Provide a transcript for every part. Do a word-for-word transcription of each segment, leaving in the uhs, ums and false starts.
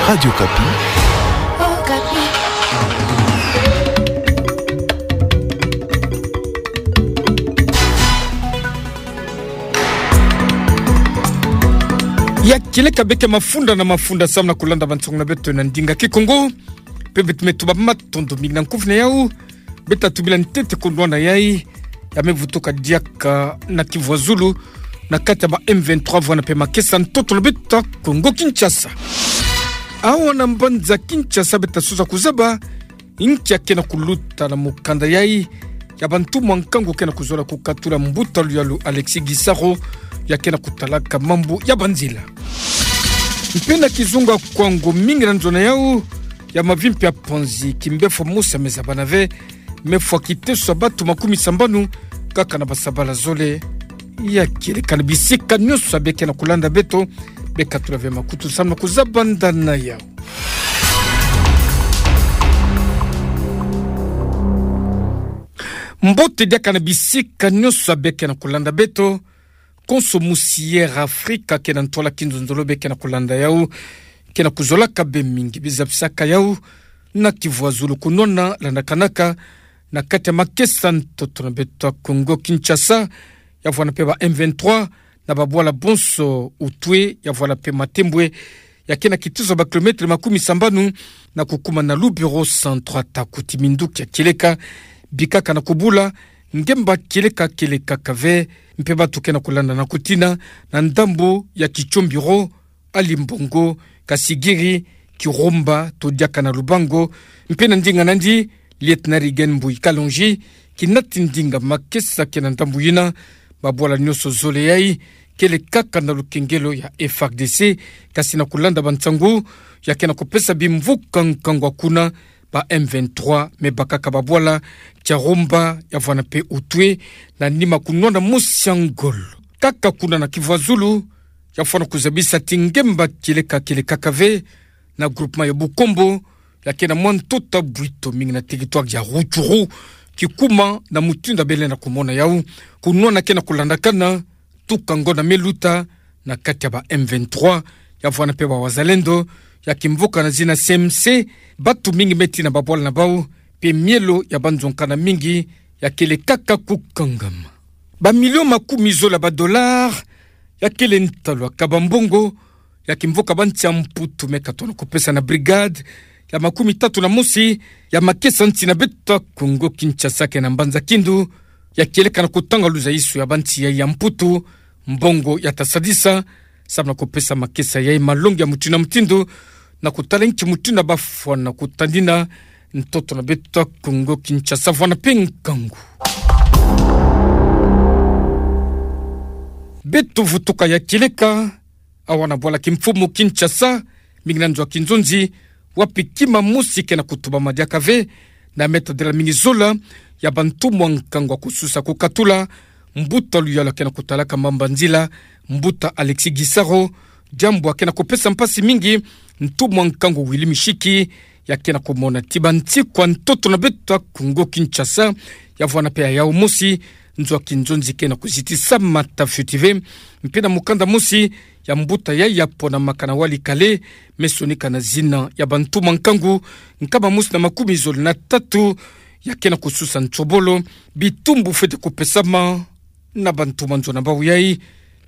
Radio Okapi. Ya kieleka beke mafunda na mafunda samu na kulanda bansango na beto na ndinga Kikongo. Pe beto me tuba matondo mingi na nkufi na yau. Beta tubila ntete kondwa na yai ya me vutuka diaka na Kivu ya Zulu, na kati ya ba M vingt-trois vwanda pe makesa ntoto na beto Kongo Kinshasa. Awa na mbanza Kinshasa beta sosa kuzaba nki ya ke na kuluta na mukanda yai ya bantumwa nkangu ke na kuzola kukatula mbuta luyalu Alexis Gisaro, ya ke na kutalaka mambu ya banzila. Mpe na kizunga Kwango, mingi na nzo na yau ya mavimpi ya panzi, kimbefo mosi ya meza bana ve me fwa kiteso ya batu makumi sambanu kaka na basabala zole. Ya kieleka na bisika nyonso ya beke na kulanda beto, bekatula ve makutu samu na kuzaba nda na yau. Mbote diaka na bisika nyonso ya beke na kulanda beto. Konso musi Air Africa ke na ntwala kinzonzolo beke na kulanda yau, ke na kuzolaka be mingi bizabisaka yau na Kivu ya Zulu kunwana landakanaka na kati ya makesa ntoto na beto Kongo Kinshasa, ya vwanda pe ba M vingt-trois na babwala bonso Utwe, ya vwanda pe Matembwe, ya ke na kiteso ba kilometre makumi sambanu na kukuma na Lubero Centre. Ata kuti minduki ya kieleka bikaka na kubula, ngemba kieleka kielekaka ve, mpe batu ke na kulanda na kutina na ndambu ya Kitshombiro, Alimbongo, Kasigiri, Kirumba, to diaka na Lubango, mpe na ndinga nandi, Lieutenant Reagan Mbuyi Kalonji kinati ndinga makesa ke na ndambu yina. Babwala nyonso zole yai kele kaka na lukengelo ya F A R D C, kasi na kulanda bansangu ya ke na kupesa bimvuka nkangu kuna, ba M vingt-trois me bakaka babwala Kirumba, ya vwanda pe Utwe, na nima kunwana mosi ya ngolo. Kaka kuna na Kivu ya Zulu, ya fwana kuzabisa ti ngemba kieleka kielekaka ve na groupement ya Bukombo, ya ke na mwa ntuta bwito mingi na territoire ya Rutshuru, kikuma na mutindu ya bele na kumona yau, kunwana ke na kulandakana tuka ngonda me luta na kati ya ba M vingt-trois, ya vwanda pe ba Wazalendo, ya kimvuka na zina C M C, batu mingi me tina babwala na bau, pe mielo ya banzonkana mingi ya kele kaka kukangama. Ba million makumi zole ya ba dollars ya kele ntalu ya kaba mbongo ya kimvuka ba nsi ya Mputu me katona kupesa na brigade ya makumi tatu na mosi ya makesa nsi na beto Kongo Kinshasa ke na mbanza Kindu, ya kieleka na kutanga luzaiso ya ba nsi yai ya Mputu mbongo ya ta sadisa, samu na kupesa makesa yai malongi ya mutindu na mutindu, na kutala nki mutindu ya bafwana kutandina ntoto na beto Kongo Kinshasa vwanda pe nkangu. Beto vutuka ya kieleka awa na bwala kimfumu Kinshasa, mingi na nzo ya kinzonzi, wapi kima mosi ke na kutubama diaka ve, na me tadila mingi zola ya bantumwa nkangu ya kususa kukatula mbuta luyalu ya ke na kutalaka mambu ya nzila, mbuta Alexis Gisaro, diambu ya ke na kupesa mpasi mingi ntumwa nkangu Willy Mishiki, ya ke na kumona ti ba nsi kwa ntoto na beto Kongo Kinshasa, ya vwanda pe ya yau mosi, nzo ya kinzonzi ke na kuzitisa mata fioti ve, mpe na mukanda mosi ya mbuta yai ya ponamaka na Walikale, me sonika na zina ya bantumwa nkangu nkama mosi na makumi zole na tatu, ya ke na kususa nsobolo bitumbu fwete kupesama na bantumwa nzo na bau yai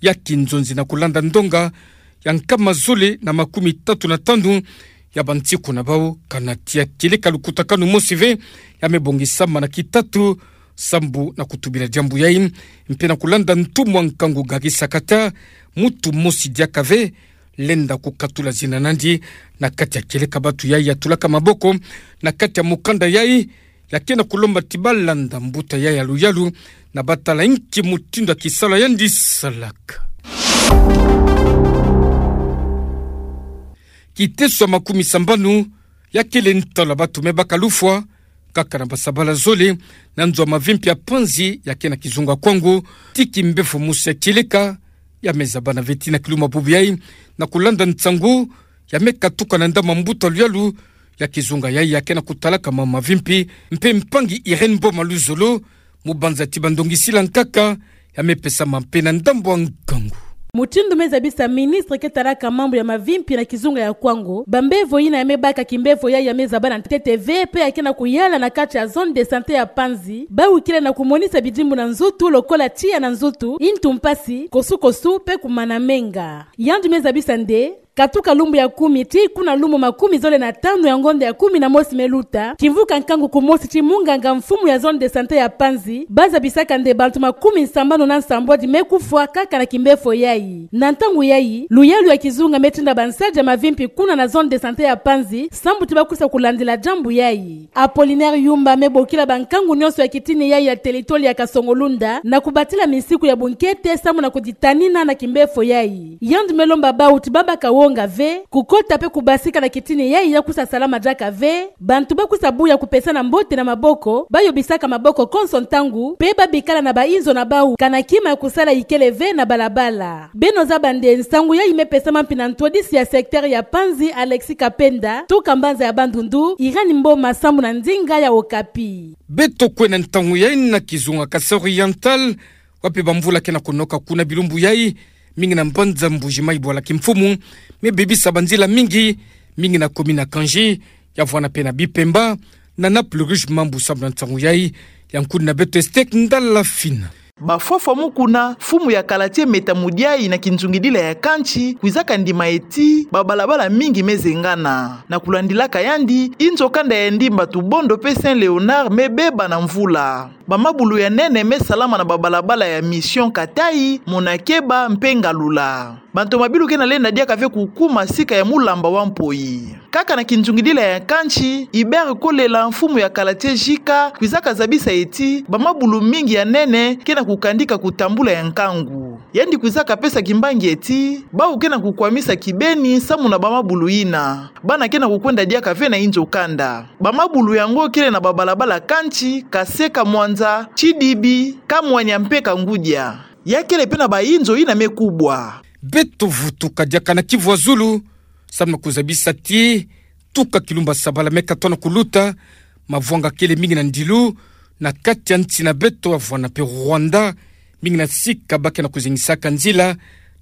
ya kinzonzi na kulanda ndonga ya nkama zole na makumi tatu na tanu ya ba nsi kuna bau, kana tia kieleka lukutakanu mosi ve ya me bongisama na kitatu sambu na kutubila diambu yai, mpe na kulanda ntumwa nkangu Gary Sakata, mutu mosi diaka ve lenda kukatula zina nandi na kati ya kieleka batu yai ya tulaka maboko na kati ya mukanda yai, ya ke na kulomba ti balanda mbuta yai ya luyalu na batala nki mutindu ya kisalu yandi salaka. Kiteso ya makumi sambanu ya kele ntalu ya batu me baka lufwa kaka na basabala zole na nzo ya mavimpi ya panzi ya ke na kizunga Kwango, ti kimbefo mosi ya kieleka ya me zabana ve ti na kiluma bubu yai, na kulanda nsangu ya me katuka na ndambu ya mbuta luyalu ya kizunga yai ya ke na kutalaka mambu ya mavimpi, mpe mpangi Irène Boma Luzolo, mubanza ti ba ndongi sila nkaka ya me pesama mpe na ndambu ya nkangu. Mutindu me zabisa ministre ke talaka mambu ya mavimpi na kizunga ya Kwango, bambevo yina ya me baka kimbevo yayi ya me zaba na ntete ve, pe ya ke na kuyala na kati ya zone de santé ya Panzi, bawu kele na kumonisa bidimbu na nzutu lokola tiya na nzutu, ntu mpasi, kosukosu, pe kumana menga. Yandi me zabisa nde, katuka lumbu ya kumi tii kuna lumbu makumi zole na tanu ya ngonda ya kumi na mosi me luta, kimvuka nkangu kumosi tii munganga mfumu ya zone de santé ya Panzi, ba zabisaka nde bantu makumi sambanu na nsambwadi me kufwa kaka na kimbefo yayi. Na ntangu yayi, luyalu ya kizunga me tinda bansadi ya mavimpi kuna na zone de santé ya Panzi, sambu ti ba kwisa kulandila diambu yayi. Apollinaire Yumba me bokila bankangu nionso ya kitini yayi ya telitoli ya Kasongo-Lunda na kubatila misiku ya bunkete sambu na kuditanina na kimbefo yayi. Yandi me lomba bawu ti ba baka wonga ve, kukota pe kubasika na kitini yayi ya kwisa salama diaka ve, bantu ba kwisa buya kupesana mbote na maboko, ba yobisaka maboko konso ntangu, pe ba bikala na bainzo na bawu, kana kima ya kusala ikele ve na balabala. Beno zaba nde nsangu yayi me pesama mpi na ntwadisi ya secteur ya Panzi Alexis Kapenda, tuka mbanza ya Bandundu, Irène Mboma sambu na ndinga ya Okapi. Beto kwe na ntangu yayi na kizunga Kasaï Oriental, wapi bamvula ke na kunoka kuna bilumbu yayi, mingi na mbanza Mbuji-Mayi bwala kimfumu, me bebisa banzila mingi, mingi na commune ya Kandji, ya vwanda pe na Bipemba, na Naples Rouge Mambu sambu na ntangu yayi, ya nkuni na beto Estek Ndala Fina. Bafwafwa mu kuna, mfumu ya kala ti Meta Mudiayi na kinzungidila ya kantsi, kwizaka ndima ti, babalabala mingi me zengana. Na kulandilaka yandi, inzo kanda ya Ndimba Tubondo pe Saint Léonard me beba na mvula. Bamabulu ya nene me salama na babalabala ya Mission Katayi, Monakeba, mpe Ngalula. Bantomabilu ke na lenda diaka ve kukuma sika ya mulamba wa mpoyi. Kaka na kinzungidila ya kantsi, Hubert Kolela, mfumu ya kala ti J K, kwizaka zabisa ti, bamabulu mingi ya nene, ke na kukandika kutambula ya nkangu. Yandi kwizaka pesa kimbangi ti, bawu ke na kukwamisa kibeni, sambu na bamabulu yina. Bana ke na kukwenda diaka ve na inzo kanda. Bamabulu yango kele na babalabala kantsi, Kaseka Mwanza, Tsidibi, Kamwanya mpe Kangudia. Ya kele pe na bainzo yina me kubwa. Beto vutuka diaka na Kivu ya Zulu, sambu na kuzabisa ti, tuka kilumbu ya sabala me katono kuluta, mavwanga kele mingi na ndilu, na kati ya nsi na beto ya vwanda pe Rwanda, mingi na sika ba ke na kuzengisaka nzila,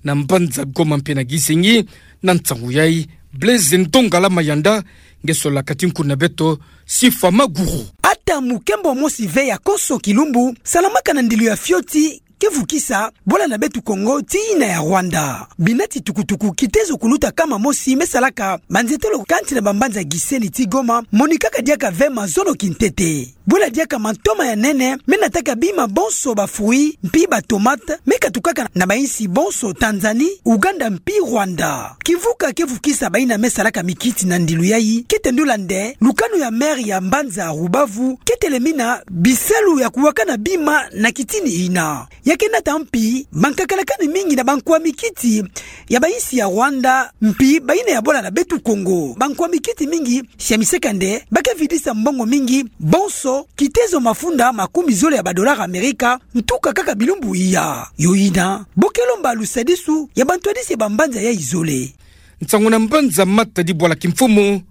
na mbanza Goma mpe na Gisenyi, na ntangu yayi, Blaise Ndongala Mayanda, nge sololaka ti nkuni na beto, Sifa Maguru. Ata mukembo mosi ve ya konso kilumbu, salamaka na ndilu ya fioti, ke vukisa, bwala na beto Kongo, tii yina ya Rwanda. Bina ti tukutuku, kitezo kuluta kama mosi, me salaka, banzetolo kati na bambanza Gisenyi tii Goma, monikaka diaka ve mazono kintete. Bwela diaka mantoma ya nene, me nataka bima bonso ba fruits, mpi ba tomates, me katukaka na bainsi bonso Tanzanie, Ouganda mpi Rwanda. Kimvuka ke vukisa bayina me salaka mikiti na ndilu yayi, ke tendula nde, lukanu ya maire ya mbanza Rubavu, ke telemina bisalu ya kuwakana bima na kitini yina. Ya ke nata mpi, bankakalakani mingi na bankwa mikiti ya bainsi ya Rwanda, mpi bayina ya bwala na beto Kongo. Bankwa mikiti mingi, sia miseka nde, ba ke vidisa mbongo mingi, bonso, kitezo mafunda makumi zole ya badollars Amerika, ntuka kaka bilumbu iya. Yo yina, bo ke lomba lusadisu ya bantwadisi ya bambanza yayi zole. Nsangu na mbanza Matadi bwala kimfumu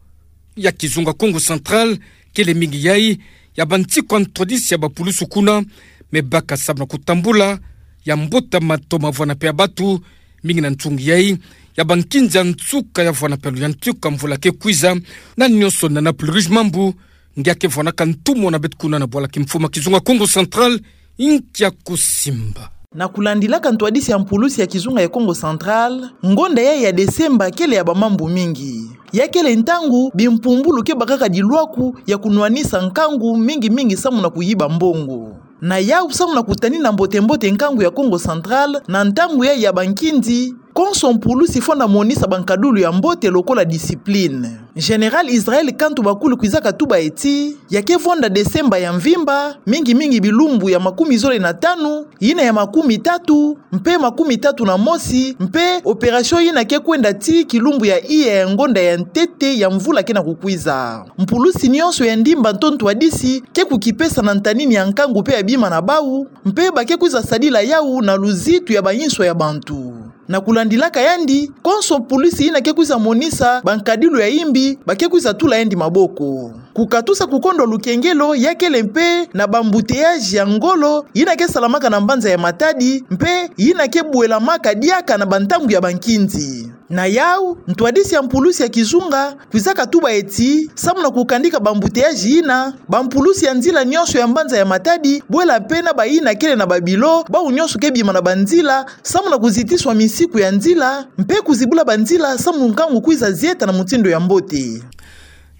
ya kizunga Kongo Central, kele mingi yayi, ya bantikwa ntwadisi ya bapulusu kuna, me baka sambu na kutambula, ya mbota mato ma vwanda pe ya batu, mingi na ntungi yayi, ya bankinza nsuka ya vwanda pe ya luyantika mvula ke kwiza, na nionso na Naples Rouge Mambu, nge ke vwandaka ntumwa na beto kuna na bwala kimfumu ya kizunga Kongo Central, nkia kusimba. Na kulandilaka ntwadisi ya mpulusi ya kizunga ya Kongo Central, ngonda yayi ya Desemba kele ya bamambu mingi. Ya kele ntangu, bimpumbulu ke bakaka dilwaku ya kunwanisa nkangu mingi mingi sambu na kuyiba mbongo. Na yawu sambu na kutanina mbote mbote nkangu ya Kongo Central, na ntangu yayi ya bankinzi, konso mpulusi fwana monisa bankadulu ya mbote lokola discipline. Général Israël Kantu Bakulu kwizaka tuba ti, ya ke vwanda Desemba ya mvimba, mingi mingi bilumbu ya makumi zole na tanu, yina ya makumi tatu, mpe makumi tatu na mosi, mpe opération yina ke kwenda tii kilumbu ya iya ya ngonda ya ntete ya mvula ke na kukwiza. Mpulusi nionso ya ndimba to ntwadisi, ke kukipesa na ntanini ya nkangu mpe ya bima na bawu, mpe ba ke kwiza sadila yawu na luzitu ya bainso ya bantu. Na kulandilaka yandi, konso mpulusi yina ke kwiza monisa bankadilu ya imbi, ba ke kwiza tula yandi maboko. Kukatusa kukondwa lukengelo, ya kele mpe na bambuteyaji ya ngolo, yina ke salamaka na mbanza ya Matadi, mpe yina ke bwelamaka diaka na bantangu ya bankindi. Na yau, ntwadisi ya mpulusi ya kizunga, kwizaka tuba eti, samu na kukandika bambuteyaji yina, bampulusi ya nzila nyonso ya mbanza ya Matadi, bwela mpe na bayina kele na babilo, bau nyonso ke bima na banzila, samu na kuzitiswa misiku ya nzila, mpe kuzibula banzila, samu nkangu kwiza zieta na mutindu ya mbote.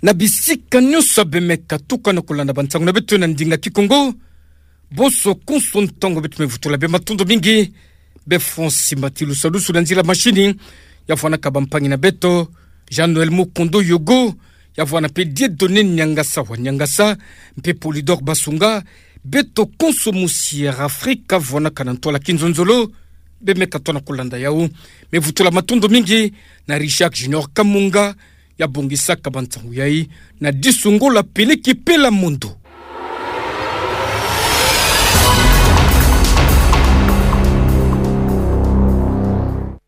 Na bisika nyonso bemeka tuka na kulanda bansangu na beto na ndinga Kikongo, bonso konso ntangu beto me vutula bê, matondo mingi. Bê Francis Matilu Salusu na nzila mashini, ya vwanaka bampangi na beto, Jean-Noël Mukondo Yogo, ya vwana mpe Dieudonné Niangasa wa Niangasa, mpe Polydor Basunga, beto konso mu Sierra Africa, vwanaka na ntwala kinzonzolo, bemeka tona kulanda yau. Me vutula matondo mingi na Richard Junior Kamunga, ya bongisaka bansangu yayi, na disungola peleki pela mondo.